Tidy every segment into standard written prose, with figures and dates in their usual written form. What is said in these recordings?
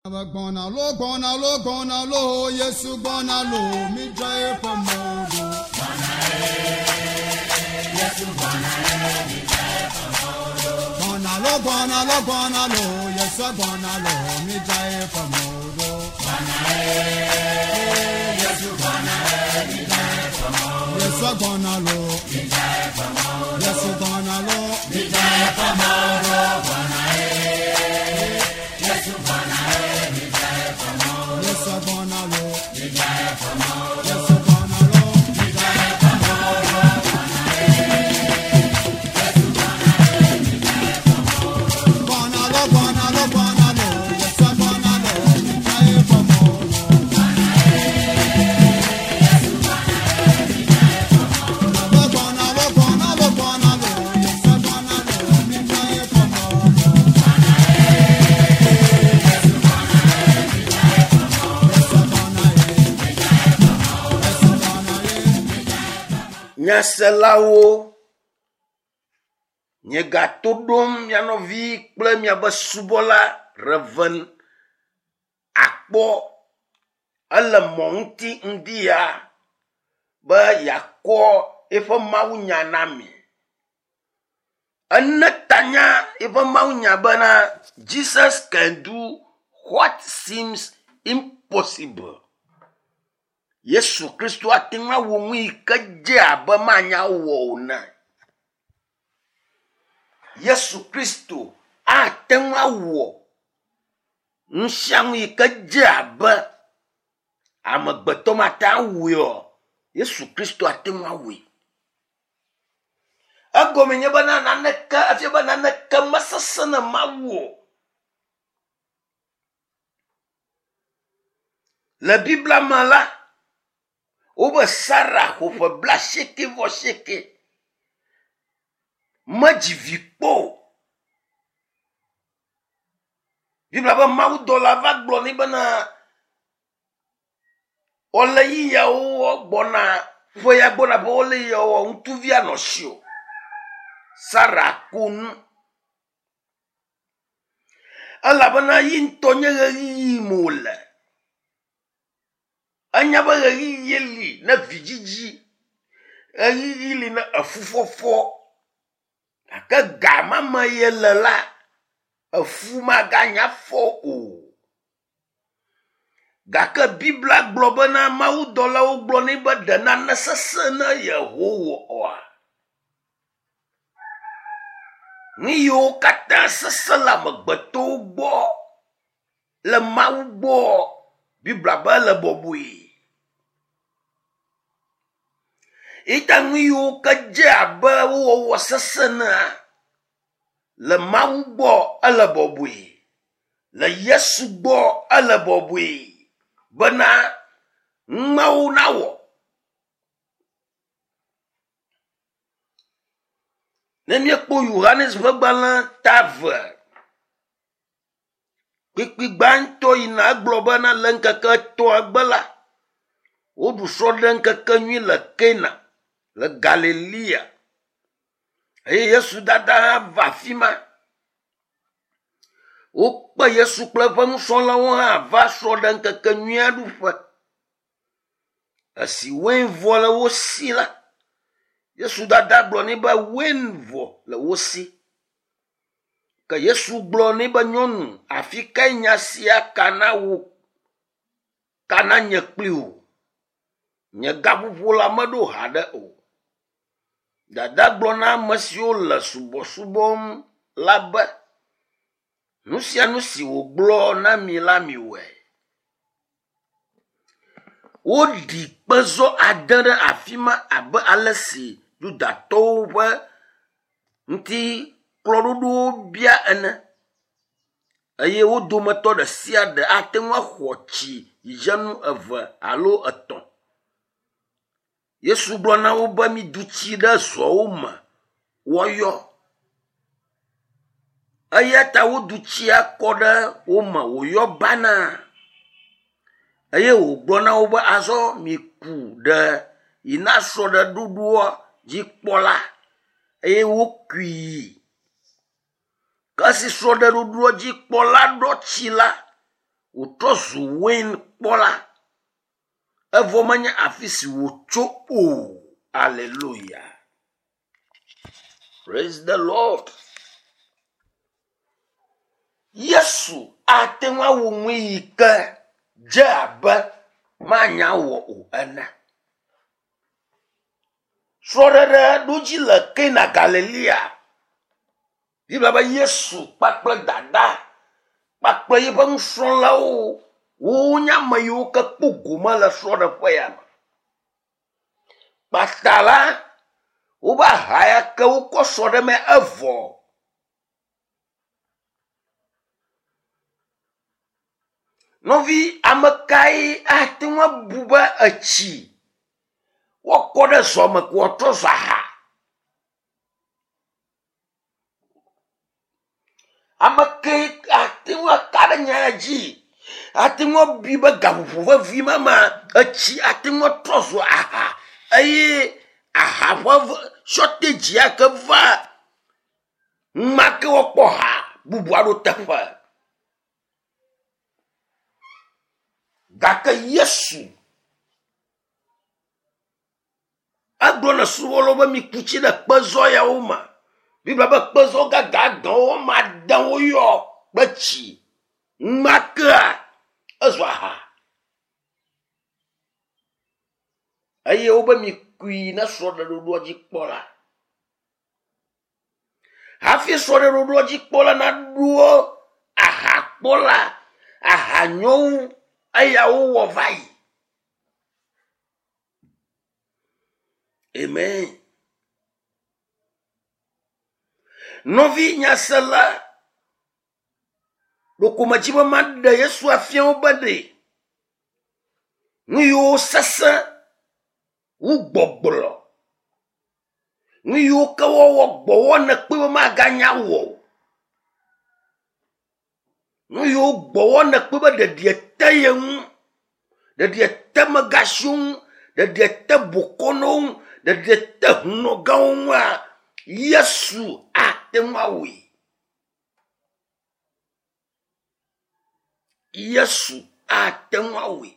Gbɔna lo gbɔna lo gbɔna lo Yesu gbɔna lo mi dza eƒe mɔ ɖo. Gbɔna lo gbɔna lo gbɔna lo Yesu gbɔna lo mi dza eƒe mɔ ɖo. Yesu gbɔna lo Yesu gbɔna lo mi dza eƒe mɔ ɖo. Yesu gbɔna lo Yesu gbɔna lo mi dza eƒe mɔ ɖo. Gbɔna lo gbɔna lo gbɔna lo Yesu gbɔna lo mi dza eƒe mɔ ɖo. Gbɔna lo gbɔna lo gbɔna lo Yesu gbɔna lo mi dza eƒe mɔ ɖo. Yesu gbɔna ye. Yesu gbɔna ye. Nyaselawo, miegato ɖom mia nɔvi kple miaƒe subɔla Rev. Akpɔ ele mɔ ŋuti ŋdi ya be yeakɔ eƒe mawunya na mi. Ene tanya eƒe mawunya bena Jesus can do what seems impossible. Yesu Kristo ate ŋu awɔ nu yi ke dze abe manya wɔ o ene. Yesu Kristo ate ŋu awɔ nu sia nu yi ke dze abe amegbetɔ mate ŋu awɔe o. Yesu Kristo ate ŋu awɔe. Egɔme nye bena naneke efia be naneke mesesẽ na Mawu o. Le Biblia me la, wobe Sara xɔ ƒe blaasieke vɔ asieke medzi vi kpɔ o. Biblia be mawudɔla va gblɔ nɛ bena wole yiyawo gbɔna ƒe ya gbɔna be wole yiyawo ŋutsuvi anɔ si o. Sara ko nu elabena yi ŋutɔ nye ɣeyiɣi me wòle. Enya be ɣeyiɣi li ne vidzidzi, ɣeyiɣi li ne efufɔfɔ gake ga ma me ye le la, efu maganya fɔ o. Gake Biblia gblɔ bena mawudɔlawo gblɔ nɛ be ɖe nane sesẽ na Yehowa oa? Nu yiwo katã sesẽ le amegbetɔwo gbɔ le Mawu gbɔ Biblia be ele bɔbɔe. Eya nu yiwo ke dze abe wo wɔwɔ sesẽ enea, le Mawu gbɔ ele bɔbɔe. Le Yesu gbɔ ele bɔbɔe bena numawo nawɔ. Ne míekpɔ Yohanes ƒe gbalẽ ta eve, kpukpui gbãtɔ yina egblɔ bena le ŋkeke etɔ̃a gbe la, woɖu srɔ̃ɖeŋkekenyui le Kana le Galilea eye Yesu dada hã va afi ma. Wokpe Yesu kple eƒe nusrɔ̃lawo hã va srɔ̃ɖeŋkekenyuia ɖuƒe. Esi wein vɔ le wo si la, Yesu dada gblɔ nɛ be wein vɔ le wo si. Ke Yesu gblɔ nɛ be nyɔnu, afi kae nya sia ka na wò ka na nye kpli wò? Nye gaƒoƒo la meɖo haɖe o. Dada gblɔ na ame siwo le subɔsubɔm la be, nu sia nu si wògblɔ na mi la miwɔe. Woɖi kpezɔ ade ɖe afi ma abe ale si Yudatɔwo ƒe ŋutiklɔɖoɖowo bia ene eye wo dometɔ ɖe sia ɖe ate ŋu axɔ tsi dzidzenu eve alo etɔ̃. Yesu gblɔ na wo be midu tsi ɖe zɔwo me woayɔ. Eya ta wodu tsia kɔ ɖe wo me wòyɔ banaa eye wògblɔ na wo be azɔ miku ɖe yi na srɔ̃ɖeɖoɖoa dzikpɔla eye wokui yi. Ke esi srɔ̃ɖeɖoɖoa dzikpɔla ɖɔ tsi la, wòtrɔ zu wein kpɔla evɔ menye afi si wòtso o. Aleluya. Praise the Lord. Yesu ate ŋu awu nu yi ke dze abe manya wɔ o ene. Srɔ̃ɖeɖe ɖo dzi le Kana Galilea. Biblia be Yesu kpakple dada kpakple yeƒe nusrɔ̃lawo wonye ame yiwo ke kpɔ gome le srɔ̃ɖeƒe ya me. Kpata la, wobe aha ya ke wokɔ sɔ ɖe eme evɔ. Nɔvi, ame kae ate ŋu abu be etsi woakɔ ɖe zɔ me ko wòatrɔ zu aha? Ame kae ate ŋu aka ɖe nya ya dzi? Ate ŋu abui be gaƒoƒo vevi ma mea, etsi ate ŋu atrɔ zu aha eye aha ƒe shɔtedzi ya ke va numa ke woakpɔ ha bubu aɖewo teƒe. Gake Yesu egblɔ na subɔlawo be miku tsi ɖe kpezɔ yawo me. Biblia be kpezɔ gãgã gãwo woame ade woyɔ kple tsi. Numa kea ezu aha. Eye wobe mikui na srɔ̃ɖeɖoɖoa dzi kpɔla. Hafi srɔ̃ɖeɖoɖoa dzi kpɔla naɖo ahakpɔla ahanyɔŋu eya wowɔ va yi. Amen. Nɔvi nyasela, ɖeko medzi be maɖe Yesu afia wo be ɖe nu yiwo sesẽ wu gbɔgblɔ. Nu yiwo ke wɔwɔ gbɔwɔ nèkpɔe be maganya wɔ o. Nu yiwo gbɔwɔ nèkpɔe be ɖeɖi te ye ŋu, ɖeɖi te amegãxiwo ŋu, ɖeɖi te bokɔnɔwo ŋu, ɖeɖi te hunɔgãwo ŋua, Yesu ate ŋu awɔe. Yesu ate ŋu awɔe.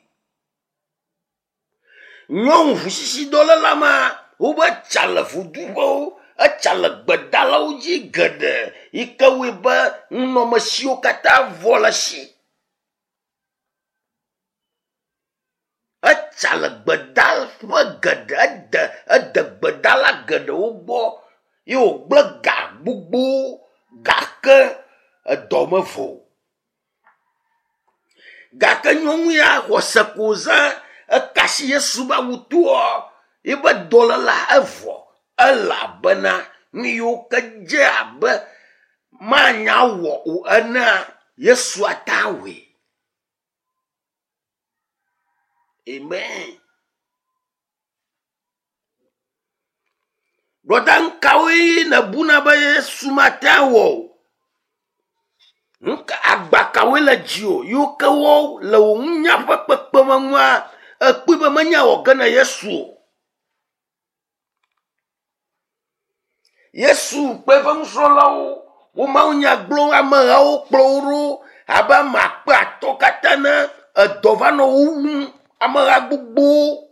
Nyɔnu ʋusisidɔléla ma wobe tsa le voduƒewo, etsa le gbedalawo dzi geɖe yi ke wɔe be nunɔamesiwo katã vɔ le esi. Etsa le gbedaƒe geɖe, ede ede gbedala geɖewo gbɔ ye wògblẽ ga gbogbowo gake edɔ mevɔ o. Gake nyɔnu ya xɔse ko zã eka asi Yesu be awutoa yiƒe dɔléla evɔ elabena nu yiwo ke dze abe manya wɔ o enea, Yesu ate awɔe. Amen. Brɔda nu kawoe nèbuna be Yesu mate awɔ o? Nu ka agba kawoe le dziwò yiwo ke wɔ le wò nunya ƒe kpekpeme ŋua èkpɔe be menya wɔ ge na Yesu o? Yesu kpe eƒe nusrɔ̃lawo wo mawunya gblɔm amehawo kplɔ wo ɖo abe ame akpe atɔ̃ katã ene. Edɔ va nɔ wo wum ameha gbogbowo.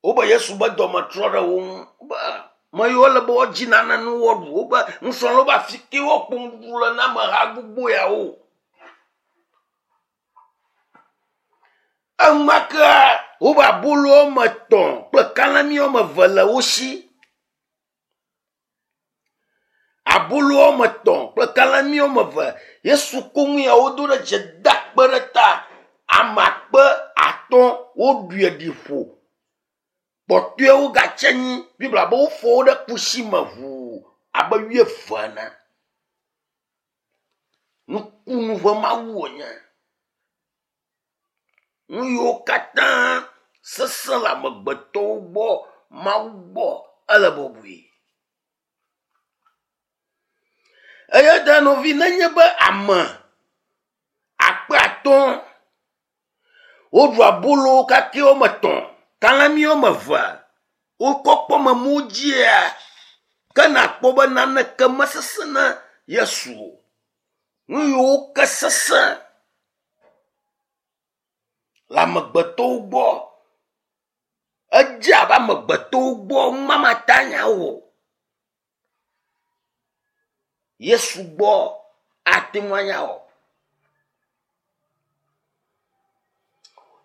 Wobe Yesu be dɔme trɔ ɖe wo ŋu be ame yiwo le be woadzi nane nu woaɖu. Wobe nusrɔ̃lawo be afi ke woakpɔ nuɖuɖu le na ameha gbogbo yawo. Enumake wobe abolo woame etɔ̃ kple kalẽmi woame eve le wo si. Abolo woame etɔ̃ kple kalẽmi woame eve. Yesu ko nu ya wodo ɖe dzi da akpe ɖe ta. Ame akpe atɔ̃ woɖui ɖi ƒo. Kpɔtɔewo gatsi anyi. Biblia be wofɔ wo ɖe kusi me ŋuu abe wuieve ene. Nukunu ƒe Mawu wònye. Nu yiwo katã sesẽ le amegbetɔwo gbɔ, Mawu gbɔ ele bɔbɔe. Eya ta nɔvi nenye be ame akpe atɔ̃ woɖu abolo kakɛ woame etɔ̃, kalẽmi woame eve wokɔ kpɔ memo dzia, ke nakpɔ be naneke mesesẽ na Yesu o. Nu yiwo ke sesẽ le amegbetɔwo gbɔ edze abe amegbetɔwo gbɔ mamata nya wɔ. Yesu gbɔ ate ŋu anya wɔ.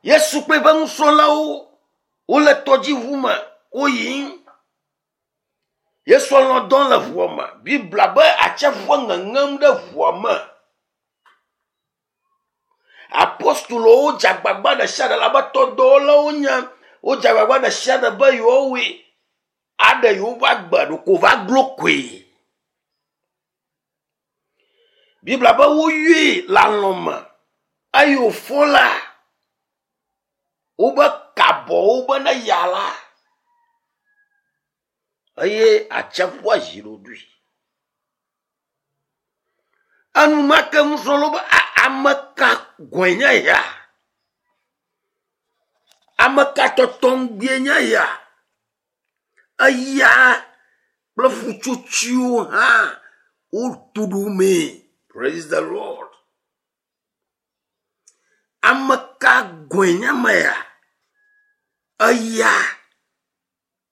Yesu kple eƒe nusrɔ̃lawo wole tɔdziʋu me woyim. Yesu lɔ̃ dɔm le ʋua me. Biblia be atsiaƒua ŋeŋem ɖe ʋua me. Apostolowo dze agbagba ɖe sia ɖe abe tɔdɔwɔlawo nye. Wodze agbagba ɖe sia ɖe be yewoawɔe aɖe yewoƒe agbe ɖeko va glo koe. Biblia be woyɔe le alɔ̃ me eye wòfɔ la, wobe kabɔwo be ne ya la eye atsiaƒua zi ɖoɖoe. Enumake nusrɔ̃lawo be ame ka gɔ̃e nye ya? Ame ka tɔtɔŋgbie nye ya? Eya kple ƒutsotsoewo hã wotu ɖomee. Praise the Lord. Ame ka gɔ̃e nye ame ya? Eya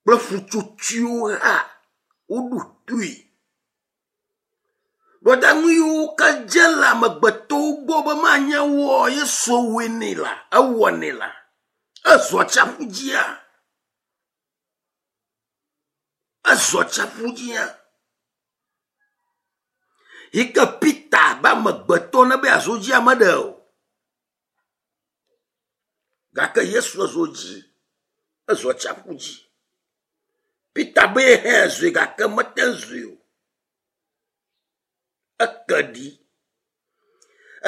kple ƒutsotsoewo hã woɖo toe. Ɖɔɖaŋu yiwo ke dze le amegbetɔwo gbɔ be manya wɔ Yesu wɔe nɛ la, ewɔ nɛ la, ezɔ atsiaƒu dzia? Ezɔ atsiaƒu dzia? Yi ke Peter be amegbetɔ ne be yeazɔ dzia meɖe o. Gake Yesu ezɔ dzi, ezɔ atsiaƒu dzi. Peter be hã zɔe gake mete ŋu zɔe o. Eke ɖi.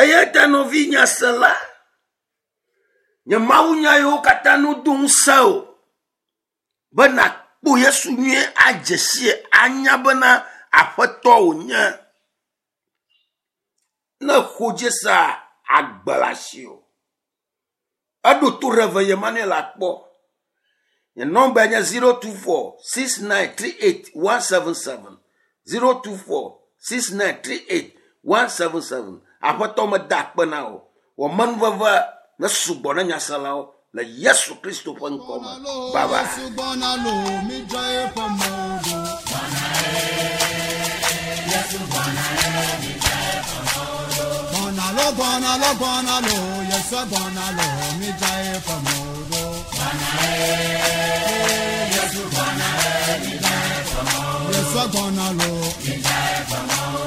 Eya ta nɔvi nyasela, nye mawunya yiwo katã no do ŋusẽ o be nàkpɔ Yesu nyuie adze sie anya bena Aƒetɔ wònye. Ne xo dzi sea, agbe le asiwò. Eɖo to Rev. Emmanuel akpɔ. Nye nɔmba nye 024 6938 177. 024 6938 177. Aƒetɔ meda akpe na wò. Wɔ menuveve ne sugbɔ na nyaselawo le Yesu Kristo ƒe ŋkɔ me. Bye bye. Yesu gbɔna lo, midza eƒe mɔwo ɖo. Gbɔna lo, gbɔna lo, gbɔna lo, Yesu gbɔna lo, midza eƒe mɔwo ɖo. Yesu gbɔna lo,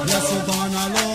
Yesu gbɔna lo,